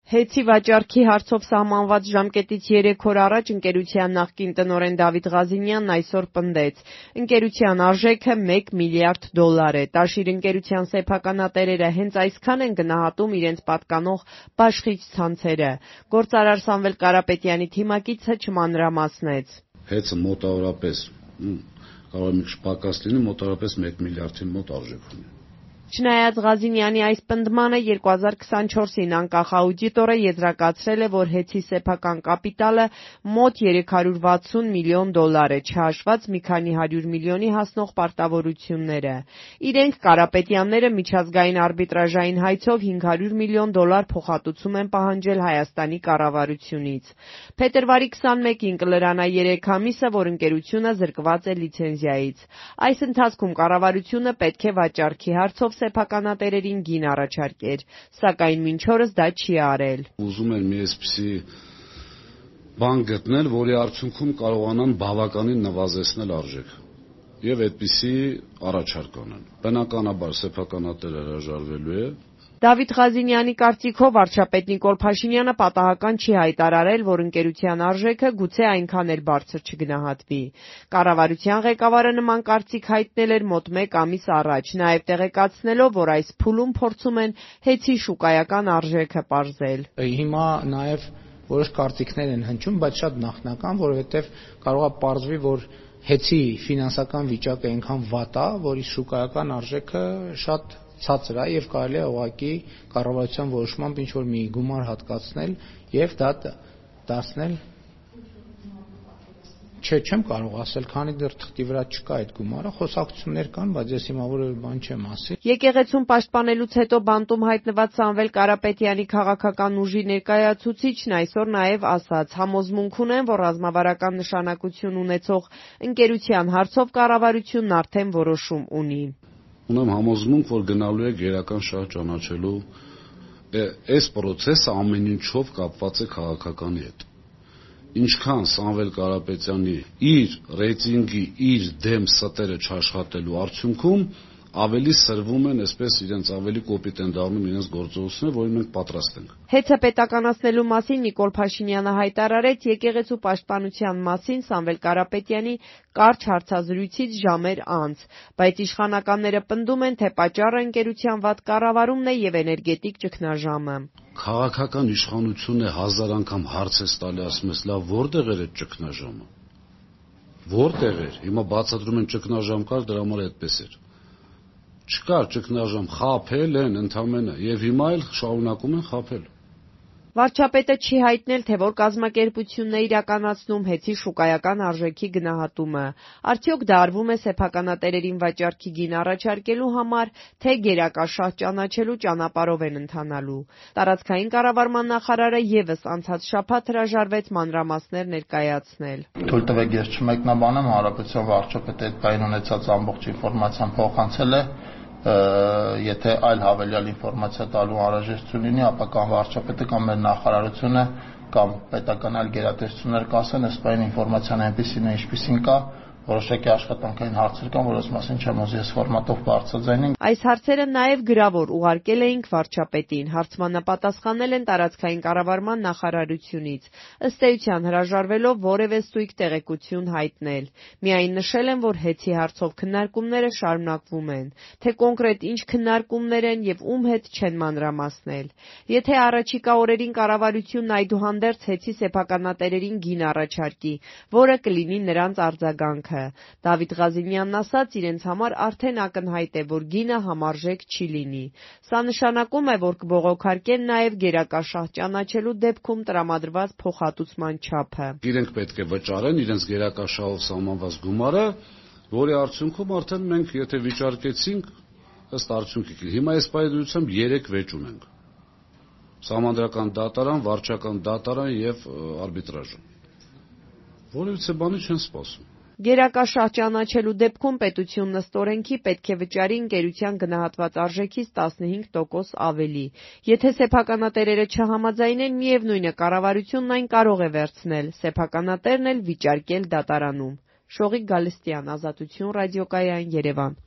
Հեծի վաճառքի հարցով սահմանված ժամկետից 3 օր առաջ ընկերության նախկին տնօրեն Դավիթ Ղազինյանն այսօր պնդեց. ընկերության արժեքը $1 միլիարդ է։ Տաշիր ընկերության սեփականատերերը հենց այսքան են գնահատում իրենց պատկանող բաշխիչ ցանցերը։ Գործարար Սամվել Կարապետյանի թիմակիցը չմանրամասնեց. Հեծը մոտավորապես, կարող է մի քիչ պակաս լինի, մոտավորապես 1 միլիարդի մոտ արժեք ունի։ Չնայած Ղազինյանի այս պնդմանը 2024-ին անկախ աուդիտորը եզրակացրել է, որ հեծի սեփական կապիտալը մոտ $360 միլիոն է, չհաշված մի քանի 100 միլիոնի հասնող պարտավորությունները։ Իրենք Կարապետյանները միջազգային արբիտրաժային հայցով $500 միլիոն փոխհատուցում են պահանջել Հայաստանի կառավարությունից։ Փետրվարի 21-ին կլրանա 3 ամիսը, որ ընկերությունը զրկված է լիցենզիայից։ Այս ընթացքում կառավարությունը պետք է վաճառքի հարցով սեփականատերերին գին առաջարկեր, սակայն մինչ օրս դա չի արել։ Ուզում են մի այսպիսի բան գտնել, որի արդյունքում կարողանան բավականին նվազեցնել արժեքը եւ այդպիսի առաջարկ անեն։ Բնականաբար սեփականատերը հրաժարվելու է։ Դավիթ Ղազինյանի կարծիքով վարչապետ Նիկոլ Փաշինյանը պատահական չի հայտարարել, որ ընկերության արժեքը գուցե այնքան էլ բարձր չգնահատվի։ Կառավարության ղեկավարը նման կարծիք հայտնել էր մոտ 1 ամիս առաջ, նաև տեղեկացնելով, որ այս փուլում փորձում են հեծի շուկայական արժեքը պարզել։ Հիմա նաև որոշ կարծիքներ են հնչում, բայց շատ նախնական, որովհետև կարող է պարզվի, որ հեծի ֆինանսական վիճակը այնքան վատ է, որ իր շուկայական արժեքը շատ ցածր է եւ կարելի է ուղղակի կառավարության որոշմամբ ինչ որ մի գումար հատկացնել եւ դա դարձնել չեմ կարող ասել, քանի դեռ թղթի վրա չկա այդ գումարը, խոսակցություններ կան, բայց ես հիմա որևէ բան չեմ ասի։ Եկեղեցուն պաշտպանելուց հետո բանտում հայտնված Սամվել Կարապետյանի քաղաքական ուժի ներկայացուցիչն այսօր նաև ասաց. համոզմունք ունեն, որ ռազմավարական նշանակություն ունեցող ընկերության հարցով կառավարությունն արդեն որոշում ունի։ Ունեմ համոզմունք, որ գնալու է գերական շահ ճանաչելու այս process-ը ամեն ինչով կապված է քաղաքականի հետ։ Ինչքան Սամվել Կարապետյանի իր ռեյտինգի, իր դեմ ստերը չաշխատելու արդյունքում ավելի սրվում են, այսպես իրենց ավելի կոպիտ են դառնում իրենց գործողությունները, որին մենք պատրաստ ենք։ Հեծը պետականացնելու մասին Նիկոլ Փաշինյանը հայտարարեց եկեղեցու պաշտպանության մասին Սամվել Կարապետյանի կարճ հարցազրույցից ժամեր անց, բայց իշխանականները պնդում են, թե պատճառը ընկերության վատ կառավարումն է եւ էներգետիկ ճգնաժամը։ Քաղաքական իշխանությունը 1000 անգամ հարց է տալի, ասում ես, լավ, որտեղ էր այդ ճգնաժամը։ Որտեղ էր։ Հիմա բացատրում են ճգնաժամ կար, դրա համար այդպես էր։ Չկար ճգնաժամ, խաբել են ընդամենը եւ հիմա էլ շարունակում են խաբել։ Վարչապետը չի հայտնել, թե որ կազմակերպությունն է իրականացնում հեծի շուկայական արժեքի գնահատումը։ Արդյոք դա արվում է սեփականատերերին վաճառքի գին առաջարկելու համար, թե գերակաշահ ճանաչելու ճանապարհով են ընթանալու։ Տարածքային կառավարման նախարարը եւս անցած շաբաթ հրաժարվեց մանրամասներ ներկայացնել։ Թույլ տվեք ես չմեկնաբանեմ, հանրապետության վարչապետը այդ բային ունեցած ամբողջ ինֆորմացիան փոխանցել է։ Եթե այլ հավելյալ ինֆորմացիա տալու անհրաժեշտություն լինի, ապա կամ վարչապետը կամ մեր նախարարությունը կամ պետական այլ գերատեսչություններ կասեն, այս բային ինֆորմացիան այնպեսին է, ինչպեսին կա, որոշակի աշխատանքային հարցեր կան, որոնց մասին չեմ ուզի այս ֆորմատով բարձրաձայնել։ Այս հարցերը նաև գրավոր ուղարկել էինք վարչապետին, հարցմանապատասխանել են տարածքային կառավարման նախարարությունից, ըստ էության հրաժարվելով որևէ ստույգ տեղեկություն հայտնել։ Միայն նշել են, որ հեծի հարցով քննարկումները շարունակվում են, թե կոնկրետ ինչ քննարկումներ են եւ ում հետ չեն մանրամասնել։ Եթե առաջիկա օրերին կառավարությունն այդուհանդերձ հեծի սեփականատերերին գին առաջարկի, որը կլինի նրանց արձագանքը։ Դավիթ Ղազինյանն ասաց, իրենց համար արդեն ակնհայտ է, որ գինը համարժեք չի լինի։ Սա նշանակում է, որ կբողոքարկեն նաև գերակաշահ ճանաչելու դեպքում տրամադրված փոխհատուցման չափը։ Իրենք պետք է վճարեն իրենց գերակաշահով սահմանված գումարը, որի արդյունքում արդեն մենք եթե վիճարկեցինք, ըստ արդյունքի հիմա այս պայմանությամբ 3 վեճ ունենք։ Սահմանադրական դատարան, վարչական դատարան եւ արբիտրաժը։ Որևիցե բանի չեն սպասում։ Գերակաշահ ճանաչելու դեպքում պետությունն ըստ օրենքի պետք է վճարի ընկերության գնահատված արժեքից 15% ավելի։ Եթե սեփականատերերը չհամաձայնեն, միևնույն է, կառավարությունն այն կարող է վերցնել, սեփականատերն էլ վիճարկել դատարանում։ Շողիկ Գալստյան, Ազատություն ռադիոկայան, Երևան։